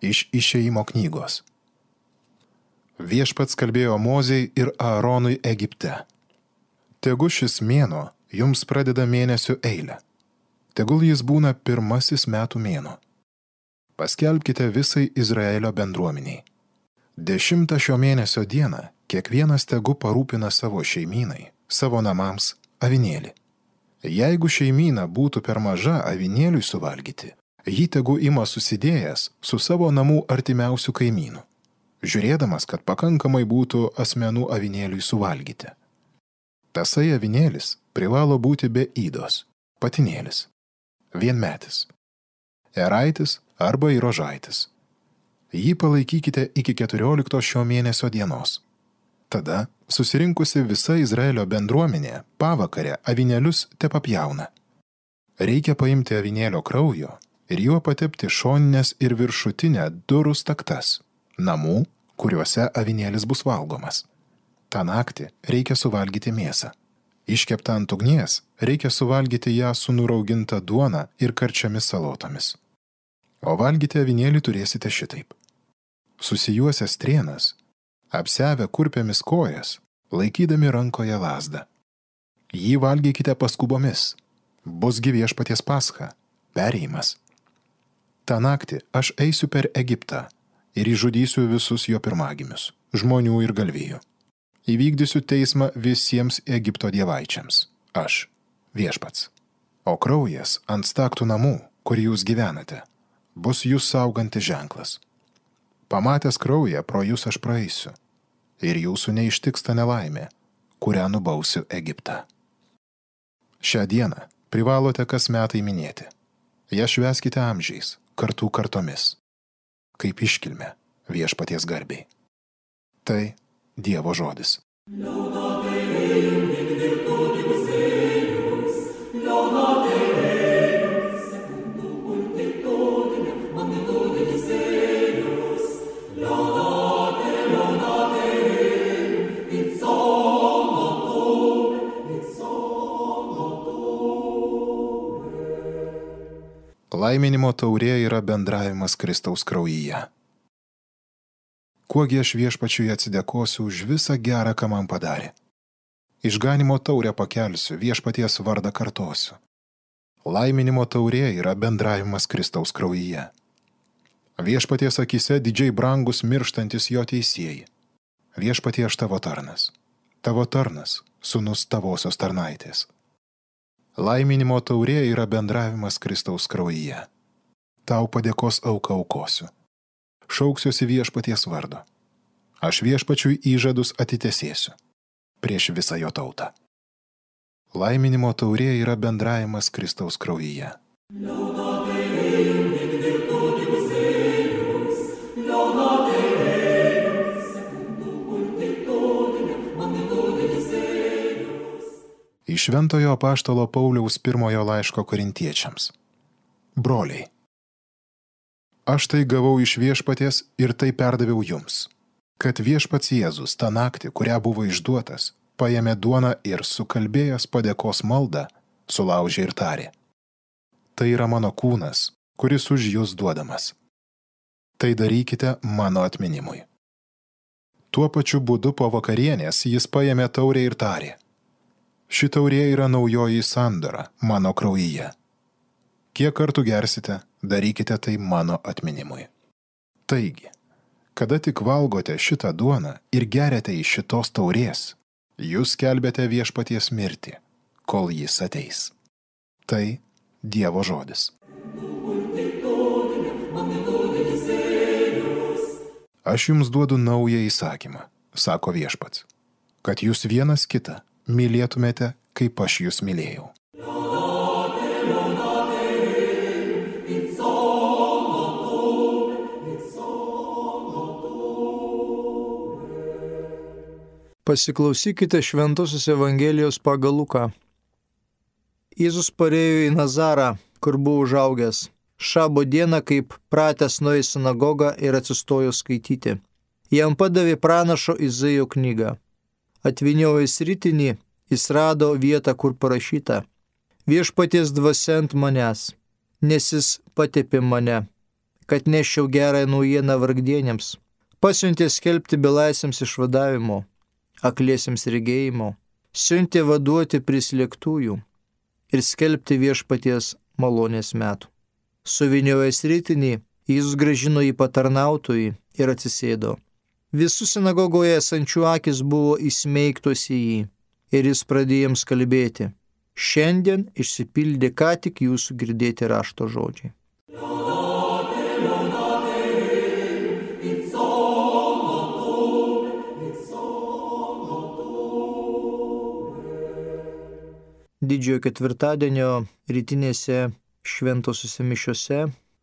Iš Išėjimo knygos. Viešpats kalbėjo Mozei ir Aaronui Egipte. Tegu šis mėnuo jums pradeda mėnesių eilę. Tegul jis būna pirmasis metų mėnuo. Paskelbkite visai Izraelio bendruomeniai. 10 šio mėnesio dieną kiekvienas tegu parūpina savo šeimynai, savo namams avinėlį. Jeigu šeimyna būtų per maža avinėliui suvalgyti, jį tegu ima susidėjęs su savo namų artimiausių kaimynų, žiūrėdamas, kad pakankamai būtų asmenų avinėliui suvalgyti. Tasai avinėlis privalo būti be ydos, patinėlis, vienmetis, eraitis arba įrožaitis. Jį palaikykite iki 14 šio mėnesio dienos. Tada susirinkusi visa Izraelio bendruomenė pavakarę avinėlius tepapjauna. Reikia paimti avinėlio kraujo ir juo patepti šoninės ir viršutinę durų staktas, namų, kuriuose avinėlis bus valgomas. Ta naktį reikia suvalgyti mėsą. Iškeptą ant ugnies reikia suvalgyti ją su nurauginta duona ir karčiomis salotomis. O valgyti avinėlį turėsite šitaip. Susijuosę strėnas, apsiavę kurpėmis kojas, laikydami rankoje lazdą. Jį valgykite paskubomis. Busgi Viešpaties Pascha, perėjimas. Ta naktį aš eisiu per Egiptą ir išžudysiu visus jo pirmagimius, žmonių ir galvijų. Įvykdysiu teismą visiems Egipto dievaičiams. Aš, Viešpats. O kraujas ant staktų namų, kur jūs gyvenate, bus jūs saugantis ženklas. Pamatęs kraują, pro jūs aš praeisiu, ir jūsų neištiks ta nelaimė, kurią nubausiu Egiptą. Šią dieną privalote kas metai minėti. Ją švęskite amžiais, kartų kartomis, kaip iškilmė Viešpaties garbei. Tai Dievo žodis. Laiminimo taurė yra bendravimas Kristaus kraujyje. Kuogi aš Viešpačiui atsidėkosiu už visą gerą, ką man padarė. Išganimo taurę pakelsiu, Viešpaties vardą kartosiu. Laiminimo taurė yra bendravimas Kristaus kraujyje. Viešpaties akise didžiai brangus mirštantis jo teisėjai. Viešpatie aš tavo tarnas, sūnus tavosios tarnaitės. Laiminimo taurė yra bendravimas Kristaus kraujyje. Tau padėkos auką aukosiu. Šauksiuosi Viešpaties vardo. Aš Viešpačiui įžadus atitesėsiu prieš visą jo tautą. Laiminimo taurė yra bendravimas Kristaus kraujyje. Iš Šventojo apaštalo Pauliaus 1 laiško Korintiečiams. Broliai, aš tai gavau iš Viešpaties ir tai perdaviau jums, kad Viešpats Jėzus tą naktį, kurią buvo išduotas, paėmė duoną ir sukalbėjęs padėkos maldą, sulaužė ir tarė. Tai yra mano kūnas, kuris už jūs duodamas. Tai darykite mano atminimui. Tuo pačiu būdu po vakarienės jis paėmė taurę ir tarė. Ši taurė yra naujoji sandora mano kraujyje. Kiek kartų gersite, darykite tai mano atminimui. Taigi, kada tik valgote šitą duoną ir geriate iš šitos taurės, jūs skelbiate Viešpaties mirtį, kol jis ateis. Tai Dievo žodis. Aš jums duodu naują įsakymą, sako Viešpats, kad jūs vienas kitą mylėtumėte, kaip aš jūs mylėjau. Pasiklausykite Šventosios Evangelijos pagal Luką. Jėzus parėjo į Nazarą, kur buvo užaugęs. Šabo dieną, kaip pratęs nuėjo į sinagogą ir atsistojo skaityti. Jam padavė pranašo Izaijo knygą. Atvyniojęs ritinį, jis rado vietą, kur parašyta: Viešpaties dvasia ant manęs, nes jis patepė mane kad neščiau gerąją naujieną vargdienėms. Pasiuntė skelbti belaisviams išvadavimo, akliesiems regėjimo, siuntė vaduoti prislėgtųjų ir skelbti viešpaties malonės metų. Suviniojęs rytinį, jis grąžino į patarnautojį ir atsisėdo. Visų sinagogoje esančių akis buvo įsmeigtos į jį ir jis pradėjo jiems kalbėti. Šiandien išsipildė ką tik jūsų girdėti rašto žodžiai. Didžiojo ketvirtadienio rytinėse šventosiuose mišiuose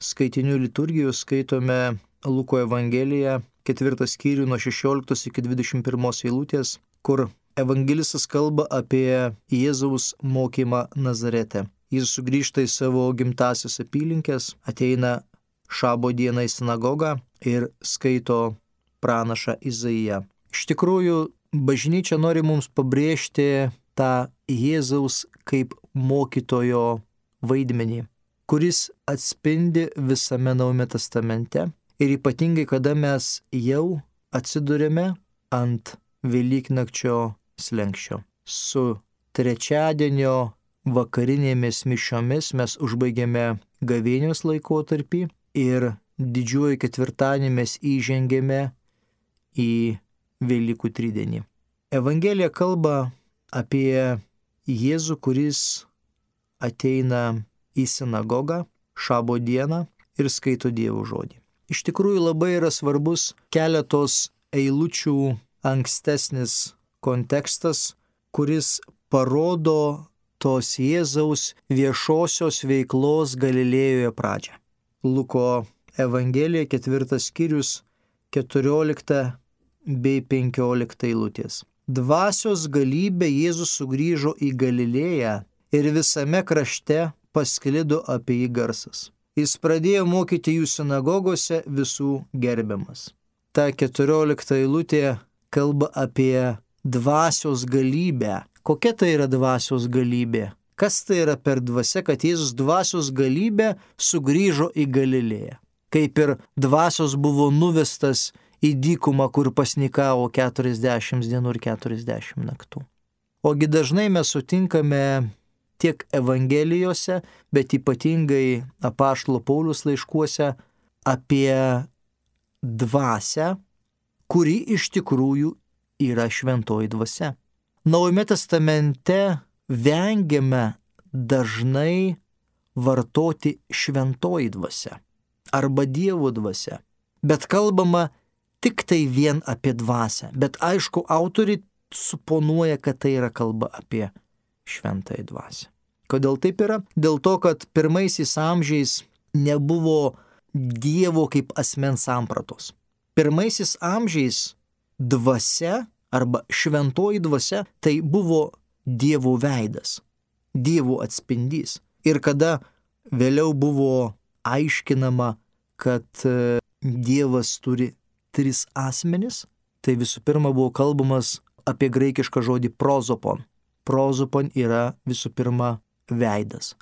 skaitinių liturgijos skaitome Luko Evangeliją, 4 skyrių nuo 16 iki 21 eilutės, kur evangelistas kalba apie Jėzaus mokymą Nazarete. Jis sugrįžta į savo gimtasias apylinkes, ateina šabo dieną į sinagogą ir skaito pranašą Izaiją. Iš tikrųjų, bažnyčia nori mums pabrėžti tą Jėzaus kaip mokytojo vaidmenį, kuris atspindi visame Naujame testamente ir ypatingai, kada mes jau atsidurėme ant Velyknakčio slenksčio. Su trečiadienio vakarinėmis mišiomis mes užbaigėme gavėnios laikotarpį ir didžiuoju ketvirtadienį mes įžengėme į Velykų tridienį. Evangelija kalba apie Jėzų, kuris ateina į sinagogą šabo dieną ir skaito Dievo žodį. Iš tikrųjų labai yra svarbus keletos eilučių ankstesnis kontekstas, kuris parodo tos Jėzaus viešosios veiklos Galilėjoje pradžią. Luko Evangelija 4 skyrius 14 bei 15 eilutės. Dvasios galybė Jėzus sugrįžo į Galilėją ir visame krašte pasklido apie jį garsas. Jis pradėjo mokyti jų sinagogose visų gerbiamas. Ta 14 eilutė kalba apie dvasios galybę. Kokia tai yra dvasios galybė? Kas tai yra per dvasia, kad Jėzus dvasios galybė sugrįžo į Galilėją? Kaip ir dvasios buvo nuvestas į dykumą, kur pasnikavo 40 dienų ir 40 naktų. Ogi dažnai mes sutinkame tiek Evangelijose, bet ypatingai apaštalo Pauliaus laiškuose apie dvasią, kuri iš tikrųjų yra šventoji dvasia. Naujame testamente vengiame dažnai vartoti šventoji dvasia arba Dievo dvasia, bet kalbama tik tai vien apie dvasią. Bet aišku, autoriai suponuoja, kad tai yra kalba apie šventąją dvasią. Kodėl taip yra? Dėl to, kad pirmaisiais amžiais nebuvo Dievo kaip asmens sampratos. Pirmaisiais amžiais dvasia arba šventoji dvasia tai buvo Dievo veidas, Dievo atspindys. Ir kada vėliau buvo aiškinama, kad Dievas turi 3 asmenis, tai visų pirma buvo kalbamas apie graikišką žodį prozopon. Prozopon yra visų pirma veidas.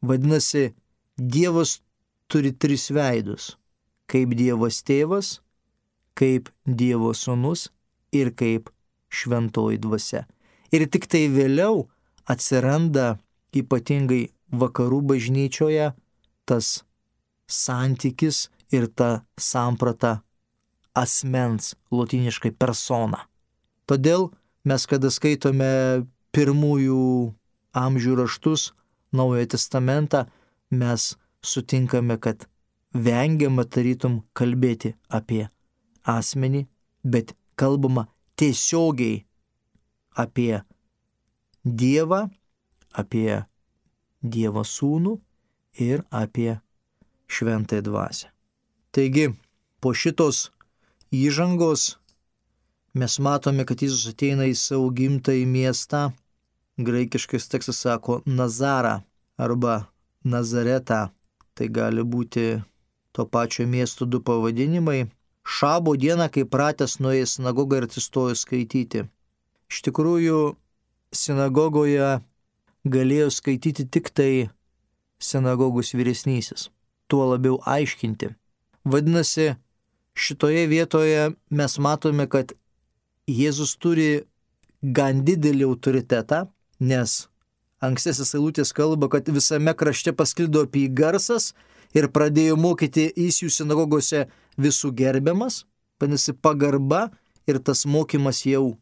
Vadinasi, Dievas turi 3 veidus. Kaip Dievas tėvas, kaip Dievo sūnus ir kaip šventoji dvasia. Ir tik tai vėliau atsiranda ypatingai vakarų bažnyčioje tas santykis ir ta samprata asmens, lotyniškai persona. Todėl mes, kada skaitome pirmųjų amžių raštus, Naujojo testamentą, mes sutinkame, kad vengiama tarytum kalbėti apie asmenį, bet kalbama tiesiogiai apie Dievą, apie Dievo sūnų ir apie šventąją dvasią. Taigi, po šitos įžangos mes matome, kad Jėzus ateina į savo gimtąjį miestą. Graikiškas tekstas sako Nazarą arba Nazaretą. Tai gali būti to pačio miesto 2 pavadinimai. Šabo dieną, kai pratęs nuėjo į sinagogą ir atsistojo skaityti. Iš tikrųjų, sinagogoje galėjo skaityti tik tai sinagogos vyresnysis. Tuo labiau aiškinti. Vadinasi, šitoje vietoje mes matome, kad Jėzus turi gan didelį autoritetą, nes ankstesnis eilutės kalba, kad visame krašte pasklido apie jį garsas ir pradėjo mokyti jis jų sinagogose visų gerbiamas, vadinasi pagarba ir tas mokymas jau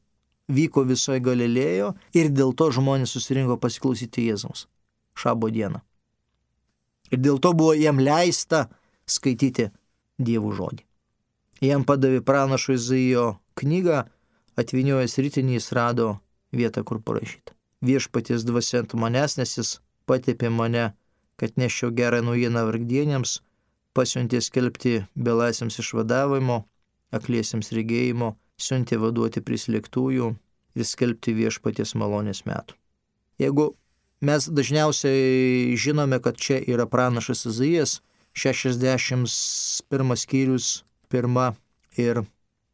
vyko visoje Galilėjo ir dėl to žmonės susirinko pasiklausyti Jėzaus šabo dieną. Ir dėl to buvo jam leista skaityti Dievo žodį. Jam padavė pranašo Izaijo knygą, atvyniojęs ritinį jis rado vietą, kur parašyta. Viešpaties dvasia ant manęs, nes jis patepė mane, kad neščiau gerą naujieną vargdieniams, pasiuntė skelbti belaisviams išvadavimo, akliesiems regėjimo, siuntė vaduoti prislėgtųjų ir skelbti viešpaties malonės metų. Jeigu mes dažniausiai žinome, kad čia yra pranašas Izaijas, 61 skyrius, 1 ir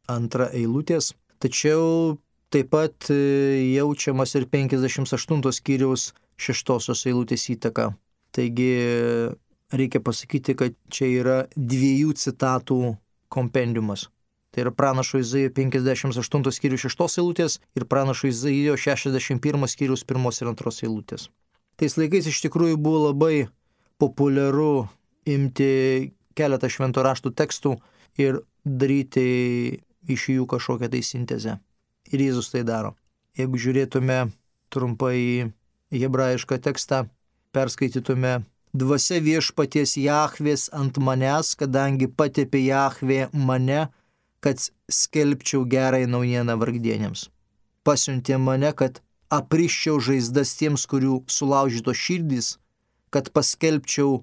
2 eilutės, tačiau taip pat jaučiamas ir 58 skyriaus 6 eilutės įtaka. Taigi reikia pasakyti, kad čia yra 2 citatų kompendiumas. Tai yra pranašo Izaijo 58 skyrius 6 eilutės ir pranašo Izaijo 61 skyrius 1 ir 2 eilutės. Tais laikais iš tikrųjų buvo labai populiaru imti keletą švento raštų tekstų ir daryti iš jų kažkokią tai sintezę. Ir Jėzus tai daro. Jeigu žiūrėtume trumpai į hebrajišką tekstą, perskaitytume: Dvasia viešpaties Jahvės ant manęs, kadangi patepė Jahvė mane, kad skelbčiau gerąją naujieną vargdieniams. Pasiuntė mane, kad apriščiau žaizdas tiems, kurių sulaužytos širdys, kad paskelbčiau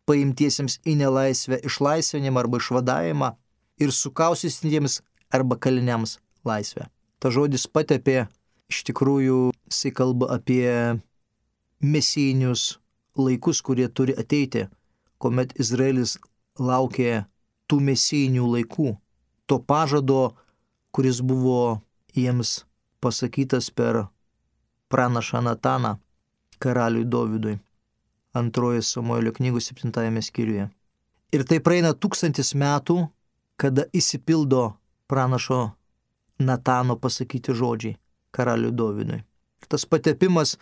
paimtiesiems į nelaisvę išlaisvinimą arba išvadavimą ir sukausysintiems arba kaliniams laisvę. Ta žodis patepė, iš tikrųjų, jisai kalba apie mesijinius laikus, kurie turi ateiti, kuomet Izraelis laukė tų mesijinių laikų, to pažado, kuris buvo jiems pasakytas per pranašą Nataną karaliui Dovydui, 2 Samuelio knygos 7 skyriuje. Ir tai praeina 1000 metų, kada išsipildo pranašo Natano pasakyti žodžiai karaliui Dovydui. Ir tas patepimas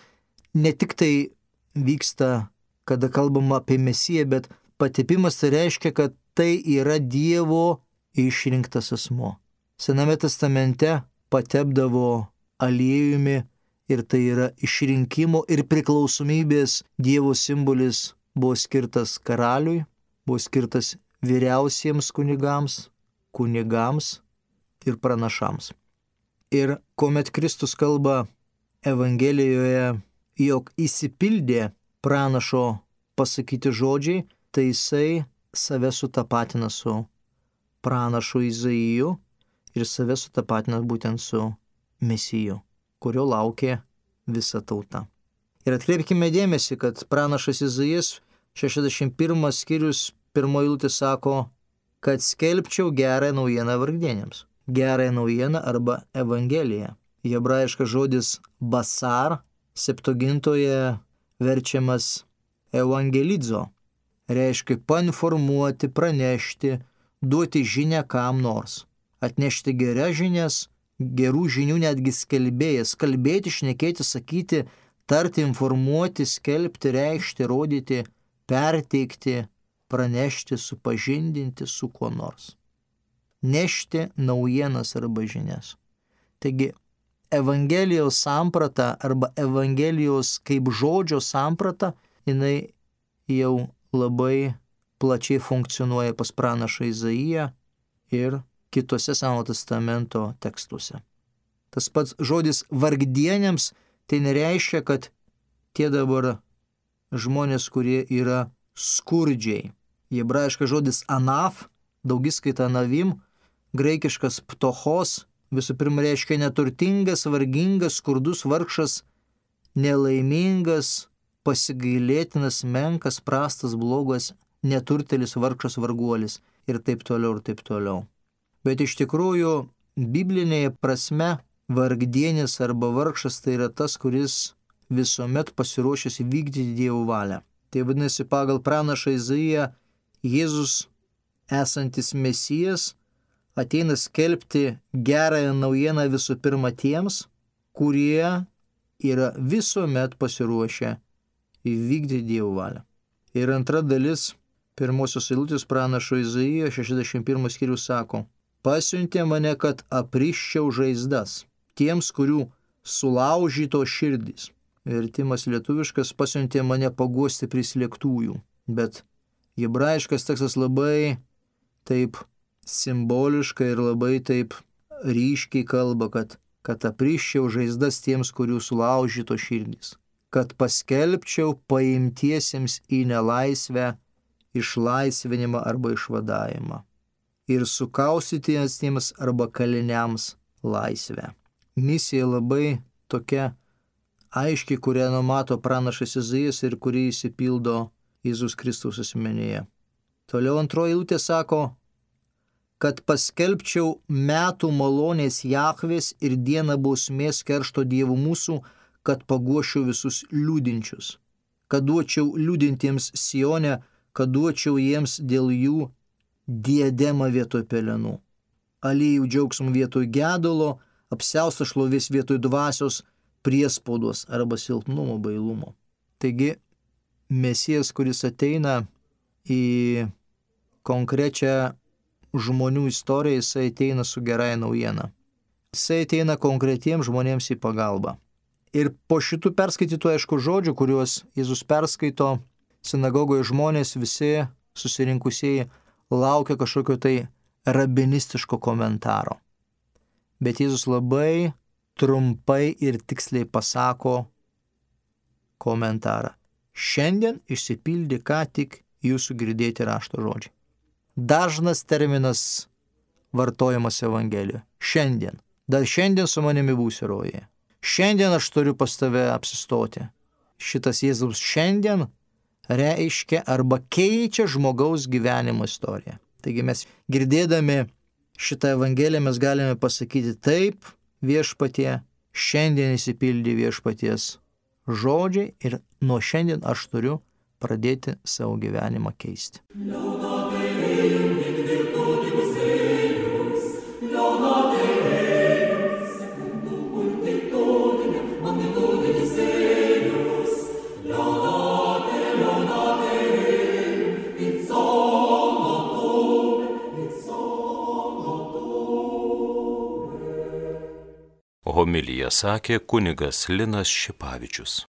ne tik tai vyksta, kada kalbama apie Mesiją, bet patepimas tai reiškia, kad tai yra Dievo išrinktas asmuo. Sename testamente patepdavo aliejumi ir tai yra išrinkimo ir priklausomybės Dievo simbolis, buvo skirtas karaliui, buvo skirtas vyriausiems kunigams ir pranašams. Ir kuomet Kristus kalba Evangelijoje, jog įsipildė pranašo pasakyti žodžiai, tai jisai save sutapatina su pranašu Izaiju ir save sutapatina būtent su Mesiju, kurio laukė visa tauta. Ir atkreipkime dėmesį, kad pranašas Izaijas 61 skyrius 1 eilutė sako, kad skelbčiau gerąją naujieną vargdieniams. Gerąją naujieną arba Evangeliją. Hebrajiškas žodis basar, Septuagintoje verčiamas evangelizo, reiškia painformuoti, pranešti, duoti žinią kam nors, atnešti geras žinias, gerų žinių netgi skelbėjas, kalbėti, šnekėti, sakyti, tarti, informuoti, skelbti, reikšti, rodyti, perteikti, pranešti, supažindinti su kuo nors. Nešti naujienas arba žinias. Taigi, Evangelijos samprata arba Evangelijos kaip žodžio samprata, jinai jau labai plačiai funkcionuoja pas pranašą Izaiją ir kitose Senojo testamento tekstuose. Tas pats žodis vargdieniams tai nereiškia, kad tie dabar žmonės, kurie yra skurdžiai. Hebrajiškas žodis anaf, daugiskaita navim, graikiškas ptochos, visų pirma reiškia neturtingas, vargingas, skurdus, vargšas, nelaimingas, pasigailėtinas, menkas, prastas, blogas, neturtelis, vargšas, varguolis ir taip toliau ir taip toliau. Bet iš tikrųjų, biblinėje prasme, vargdienis arba vargšas tai yra tas, kuris visuomet pasiruošęs įvykdyti Dievo valią. Tai vadinasi, pagal pranašą Izaiją, Jėzus esantis Mesijas ateina skelbti gerąją naujieną visų pirma tiems, kurie yra visuomet pasiruošę įvykdyti Dievo valią. Ir antra dalis pirmosios eilutės pranašo Izaijo 61 skyrius sako: pasiuntė mane, kad apriščiau žaizdas tiems, kurių sulaužyto širdys. Vertimas lietuviškas: pasiuntė mane paguosti prislėgtųjų. Bet hebrajiškas tekstas labai taip simboliškai ir labai taip ryškiai kalba, kad apriščiau žaizdas tiems, kurių sulaužyto širdys, kad paskelbčiau paimtiesiems į nelaisvę išlaisvinimą arba išvadavimą ir sukaustytiesiems arba kaliniams laisvę. Misija labai tokia aiškiai, kurią numato pranašas Izaijas ir kuri įsipildo Jėzus Kristaus asmenyje. Toliau antroji eilutė sako, kad paskelbčiau metų malonės Jahvės ir dieną bausmės keršto Dievų mūsų, kad paguošiau visus liūdinčius, kad duočiau liūdintiems Sione, kad duočiau jiems dėl jų diademą vietoj pelenų, aliejų džiaugsmų vietoj gedulo, apsiaustą šlovės vietoj dvasios, priespaudos arba silpnumo bailumo. Taigi, Mesijas, kuris ateina į konkrečią žmonių istoriją, jisai ateina su gerąja naujiena. Jisai ateina konkretiems žmonėms į pagalbą. Ir po šitų perskaitytų, aišku, žodžių, kuriuos Jėzus perskaito, sinagogoje žmonės visi susirinkusieji laukia kažkokio tai rabinistiško komentaro. Bet Jėzus labai trumpai ir tiksliai pasako komentarą. Šiandien išsipildė ką tik jūsų girdėti rašto žodžiai. Dažnas terminas vartojamas Evangelijoje. Šiandien. Dar šiandien su manimi būsi rojuje. Šiandien aš turiu pas tave apsistoti. Šitas Jėzaus šiandien reiškia arba keičia žmogaus gyvenimo istoriją. Taigi mes girdėdami šitą Evangeliją mes galime pasakyti taip, viešpatie, šiandien įsipildė viešpaties žodžiai ir nuo šiandien aš turiu pradėti savo gyvenimą keisti. Homiliją sakė kunigas Linas Šipavičius.